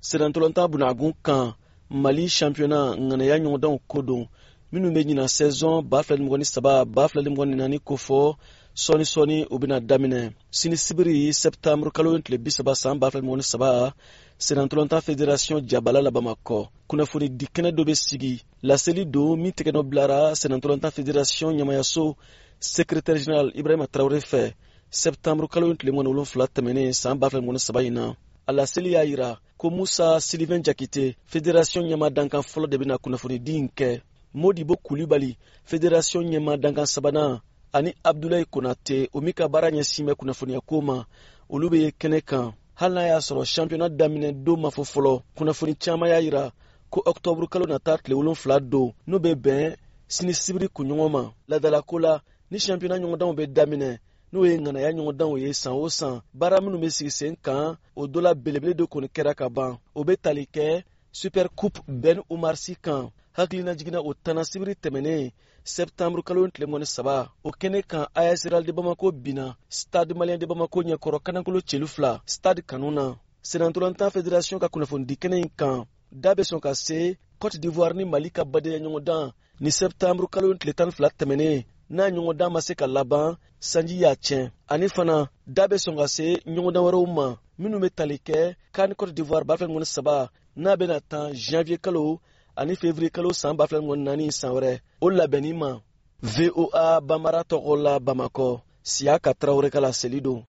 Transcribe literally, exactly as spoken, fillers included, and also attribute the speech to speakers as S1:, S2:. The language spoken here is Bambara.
S1: Sennantolatan bunagun kan, Mali championnat ŋanaya ɲɔgɔndanw ko don minnu bɛ ɲinan saison ba fila ni mugan ni saba, ba fila ni mugan ni naani kofɔ. Sɔɔni sɔɔni u bɛna daminɛ sini sibiri, sɛptanburu kalo tile bi saba, san ba fila ni mugan ni saba, sennantolatan fédération jabala la Bamakɔ. Kunnafoni di kɛnɛ dɔ bɛ sigi. Laseli don min tɛgɛnɔ bilara sennantolatan fédération ɲɛmayaso secrétaire général Ibrahima Tarawele fɛ sɛptanburu kalo tile mugan ni wolonfila tɛmɛnen, san ba fila ni mugan ni saba in na. A laseli y'a yira ko Musa Sylvain Jakite, fédération ɲɛma dankan fɔlɔ, de bɛna kunnafonidi in kɛ. Modibo Kulibali, fédération ɲɛma dankan sabanan, ani Abdulayi Konate, o min ka baara ɲɛsin bɛ kunnafoniyako ma, olu bɛ kɛnɛ kan. Hali n'a y'a sɔrɔ championnat daminɛ don ma fɔ fɔlɔ, kunnafoni caman y'a yira ko ɔktɔburu kalo nata tile wolonfila don, n'o bɛ bɛn sini sibiri kunɲɔgɔn ma. Ladalako la, ni championnat ɲɔgɔndanw bɛ daminɛ, n'o ye ŋanaya ɲɔgɔndanw ye san o san, baara minnu bɛ sigi sen kan, o dɔ la belebele dɔ kɔni kɛra ka ban. O bɛ tali kɛ Super Coupe Ben Umar Sy kan. Hakilina jiginna o tana sibiri tɛmɛnen, sɛptanburu kalo tile mugan ni saba. O kɛnɛ kan, A S Real de Bamako binna Stade Malien de Bamako ɲɛkɔrɔ kanankolo celu fila stade kanu na. Sennantolatan fédération ka kunnafonidi kɛnɛ in kan, da bɛ sɔn ka se Cote d'Ivoire ni Mali ka badenya ɲɔgɔndan ni sɛptanburu kalo tile tan ni fila tɛmɛnen, n'a ɲɔgɔndan ma se ka laban, sanji y'a tiɲɛ. Ani fana, da bɛ sɔn ka se ɲɔgɔndan wɛrɛw ma minnu bɛ tali kɛ CAN Cote d'Ivoire ba fila ni mugan ni saba, n'a bɛna tan janvier kalo ani février kalo san ba fila ni mugan ni naani, san wɛrɛ, o labɛnni ma. V O A Banbara tɔgɔ la Bamakɔ, Siyaka Tarawele ka laseli don.